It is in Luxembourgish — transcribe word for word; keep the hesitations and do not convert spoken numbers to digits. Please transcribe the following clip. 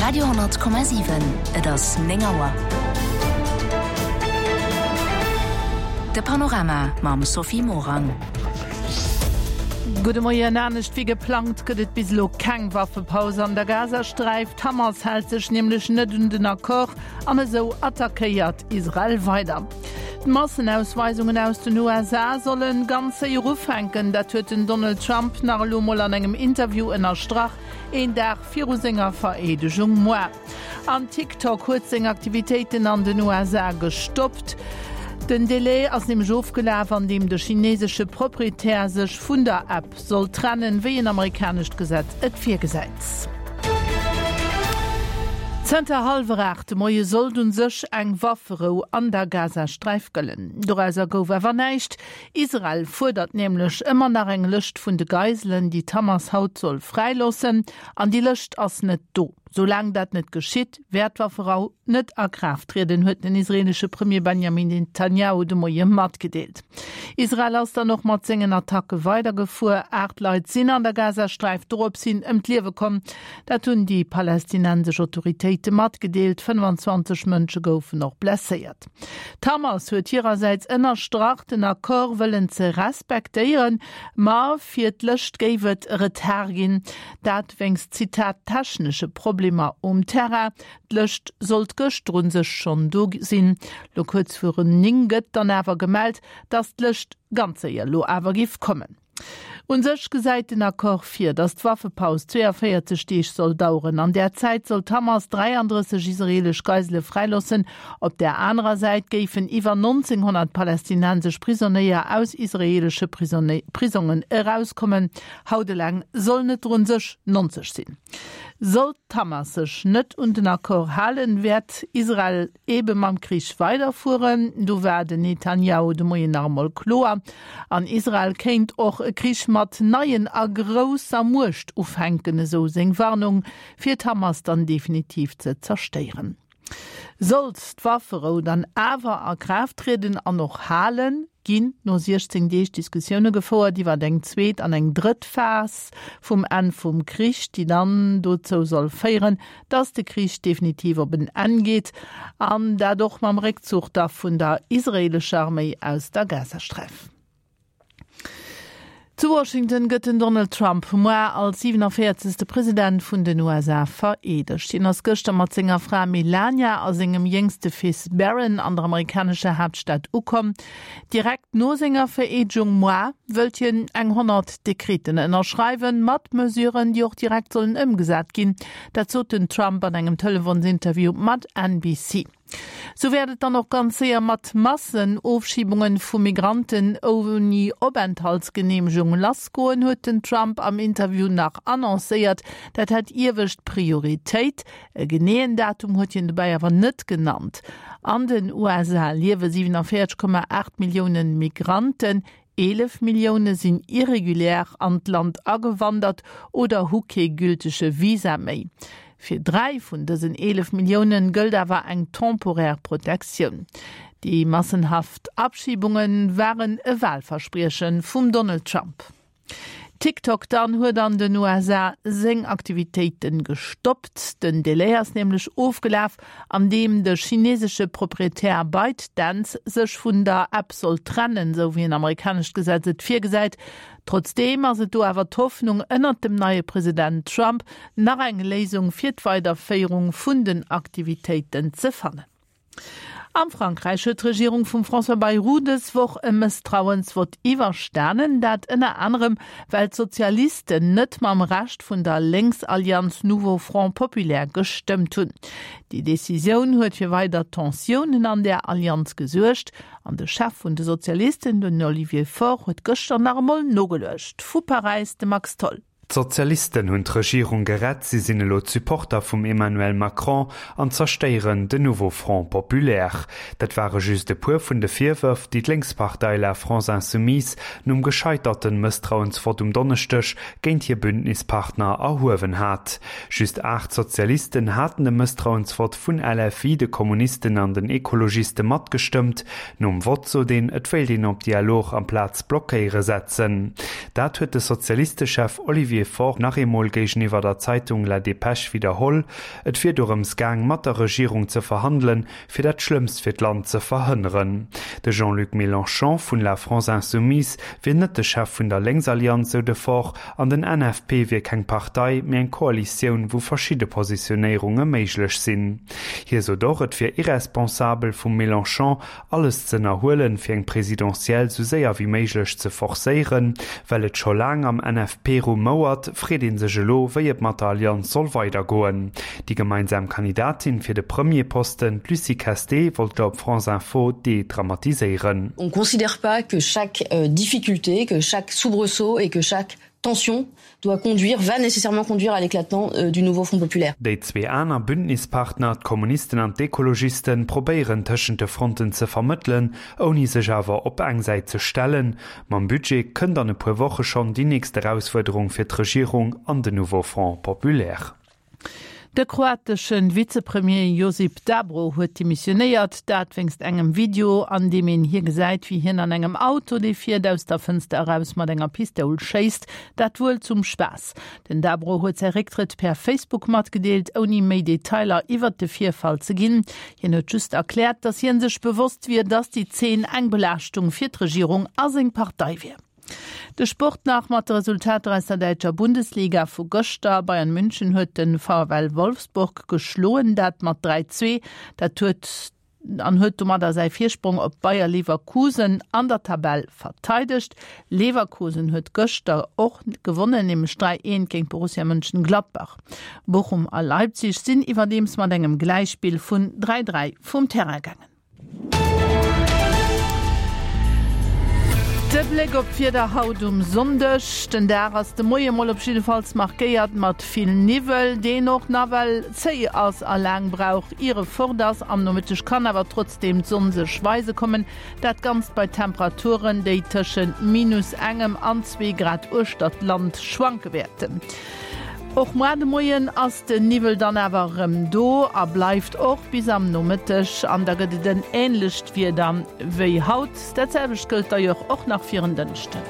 Radio honnert Komma siwen, Et ass néng Auer. De Panorama mam Sophie Morang. Gudde Moien. Anescht wéi geplangt gëtt et bis elo keng Waffepaus an der Gazasträif. D'Hamas hält sech nämlech net un den Accord an esou attackéiert Israel weider. D'Massenausweisungen aus den U S A sollen ganz séier ufänken, dat huet den Donald Trump nach elo mol an engem Interview ënnerstrach, een Dag viru senger Vereedegung moar. An TikTok huet seng Aktivitéiten an den U S A gestoppt. Den Delai ass nämlech ofgelaf, an deem de chinesesche Proprietär sech vun der App soll trennen, wéi en amerikanescht Gesetz et virgesäit. Zënter hallwer aacht de Moie sollt un sech eng Wafferou an der Gazasträif gëllen. Dorauser gouf awer näischt. Israel fuerdert nämlech ëmmer nach eng Lëscht vun de Geiselen, déi d'Hamas haut soll fräiloossen. An déi Lëscht ass net do. Soulaang dat net geschitt, wäert d'Wafferou net a Kraaft trieden, huet den israelische Premier Benjamin Netanyahu de Moie matgedeelt. Israel ass dann och mat sengen Attacke weidergefuer. Aacht Leit sinn an der Gazasträif dorops hin ëm d'Liewe komm. Dat hunn déi palästinensesch Autoritéite matgedeelt. fënnwanzwanzeg Mënsche goufen och blesséiert. D'Hamas huet hirersäits ënnerstrach, den Accord wëllen ze respektéieren, ma fir d'Lëscht géif et Retard ginn. Dat wéinst, Zitat, technesche Problemer um Terrain. D'Lëscht sollt gëschter un sech schonn do sinn. Lo kuerz virun néng gëtt dann awer gemellt, dass d'Lëscht ganz séier lo awer géif kommen. Un sech gesäit den Accord vir, dass d'Waffepaus zwéianvéierzeg Deeg soll daueren. An där Zäit soll d'Hamas dräiandrësseg israelesch Geisele fräiloossen. Op der anerer Säit géifen iwwer neunzehnhundert palästinensesch Prisonéier aus israelesche Prisone-, Prisongen erauskommen. Haut eleng soll net run sech neunzeg sinn. Sollt d'Hamas sech net un den Accord halen, wäert Israel ebe mam Krich weiterfueren. Do war den Netanyahu de Moien nach emol kloer. An Israel kéint och e Krich mat neien a grousser Muecht ufänken, esou seng Warnung, fir d'Hamas dann definitiv ze zerstéieren. Sollt d'Wafferou dann awer a Kraaft trieden an och halen, ginn no siechzéng Deeg Diskussioune gefouert iwwer eng zweet an eng drëtt Phas vum Enn vum Krich, déi dann dozou soll féieren, dass de Krich definitiv op en Enn geet an dat och mam Réckzuch da vun der israelescher Arméi aus der Gazasträif. Zu Washington gëtt den Donald Trump moar als siebenundvierzigste President vun den U S A vereedegt. Hien ass gëschter mat senger Fra Melania a sengem jéngste Fils Barron an der amerikanescher Hauptstadt ukomm. Direkt no senger Vereedegung moar wëllt hien eng honnert Dekreten ënnerschreiwen, mat Mesuren, déi och direkt sollen ëmgesat ginn. Dat sot den Trump an engem Telefonsinterview mat N B C. So wäert et dann och ganz séier mat Massenofschiebungen vu Migranten ouni Openthaltsgenehmigung lassgoen, huet den Trump am Interview nach annoncéiert. Dat hätt iewescht Prioritéit. E geneeën Datum huet hien dobäi awer net genannt. An den U S A liewe siebenundvierzig Komma acht Milliounen Migranten. Elef Millioune sinn irregulär an d'Land agewandert oder hu kee gültige Visa méi. Fir dräi vun dësen elef Milliounen gëllt awer eng temporär Protektioun. Déi massenhaft Abschiebungen waren e Wahlverspriechen vum Donald Trump. TikTok dann huet an den U S A seng Aktivitéiten gestoppt. Den Delai ass nämlech ofgelaf, an deem de chinesesche Proprietär ByteDance sech vun der App soll trennen, sou wéi en amerikanescht Gesetz et virgesäit. Trotzdem ass et do awer d'Hoffnung ënnert dem neie President Trump nach eng Léisung fir d'Weiderféierung vun den Aktivitéiten ze fannen. Am Frankreich huet d'Regierung vum François Bayrou dës Woch e Mësstrauensvott iwwerstanen, dat ënner anderem, well d'Sozialisten net mam Rescht vun der Lénksallianz Nouveau Front Populaire gestëmmt hunn. Déi Decisioun huet fir weider Tensiounen an der Allianz gesuergt. An de Chef vun de Sozialisten, den Olivier Faure, huet gëschter nach emol nogeluecht. Vu Paräis de Max Tholl. D'Sozialisten hunn d'Regierung gerett, si sinn elo d'Supporter vum Emmanuel Macron an zerstéieren den Nouveau Front Populaire. Dat ware just e puer vun de Virwërf, déi d'Lénkspartei La France Insoumise nom gescheiterten Mësstrauensvott um Donneschdeg géint hir Bündnispartner erhuewen hat. Just acht Sozialisten haten de Mësstrauensvott vun L F I, de Kommunisten an den Ekologiste matgestëmmt. Nom Vott sot een, et wéilt een op Dialog amplaz blockéiere setzen. Dat huet de Sozialistechef Olivier Olivier Faure nach eemol géigeniwwer der Zeitung La Dépêche widderholl. Et wier dorëms gaang, mat der Regierung ze verhandelen, fir dat Schlëmmst fir d'Land ze verhënneren. De Jean-Luc Mélenchon vun La France Insoumise wier net de Chef vun der Lénksallianz, sou de Faure, an den N F P wier keng Partei, mee eng Koalitioun, wou verschidde Positionéierunge méiglech sinn. Hie sot och, et wier irresponsabel vum Mélenchon, alles z'ënnerhuelen, fir eng Presidentielle sou séier wéi méiglech ze forcéieren. Well et scho laang am N F P rumouert, freet ee sech elo, wéi et mat der Allianz soll weidergoen. Déi gemeinsam Kandidatin fir de Premierposten, d'Lucie Casté, wollt op France Info dédramatiséieren. On considère pas que chaque difficulté, que chaque soubresaut et que chaque tension doit conduire, va nécessairement conduire à l'éclatement du nouveau Front populaire. Déi zwee aner Bündnispartner, d'Kommunisten an d'Ekologisten, probéieren tëschent de Fronten ze vermëttelen, ouni sech awer op eng Säit ze stellen. Mam Budget kënnt an e puer Woche schonn déi nächst Erausfuerderung fir d'Regierung an den Nouveau Front populaire. De kroatesche Vizepremier Josip Dabro huet demissionéiert, dat wéinst engem Video, an deem een hie gesäit, wéi hien an engem Auto, dee fiert, aus der Fënster eraus mat enger Pistoul schéisst, dat wuel zum Spaass. Den Dabro huet säi Récktrëtt per Facebook matgedeelt, ouni méi Detailer iwwert de Virfall ze ginn. Hien huet just erkläert, datt hien sech bewosst wier, datt déi Zeen eng Belaaschtung fir d'Regierung a seng Partei wier. De Sport nach mat de Resultater aus der däitscher Bundesliga vu gëschter. Bayern München huet den VfL Wolfsburg geschloen, dat mat dräi zwee. Dat huet an huet domadder säi Virsprong op Bayer Leverkusen an der Tabell verteidegt. Leverkusen huet gëschter och gewonnen, nämlech dräi eent géint Borussia Mönchengladbach. Bochum a Leipzig sinn iwwerdeems mat engem Gläichspill vun dräi dräi vum Terrain gaangen. De Bléck op d'Wieder haut um Sonndeg. Den Dag ass de Moie mol op jiddefalls markéiert mat vill Niwwel, deen och nawell zéi ass a laang brauch ier e fort ass. Am Nomëtteg kann awer trotzdeem d'Sonn sech weise kommen, dat Ganzt bei Temperaturen, déi tëschent minus engem an zwee Grad uechter d'Land schwanke wäerten. Och muer de Moien ass den Niwwel dann awer erëm do a bleift och bis am Nomëtteg an da gëtt et en änlecht Wieder wéi haut. Dat selwecht gëllt d'ailleurs och nach fir en Dënschden.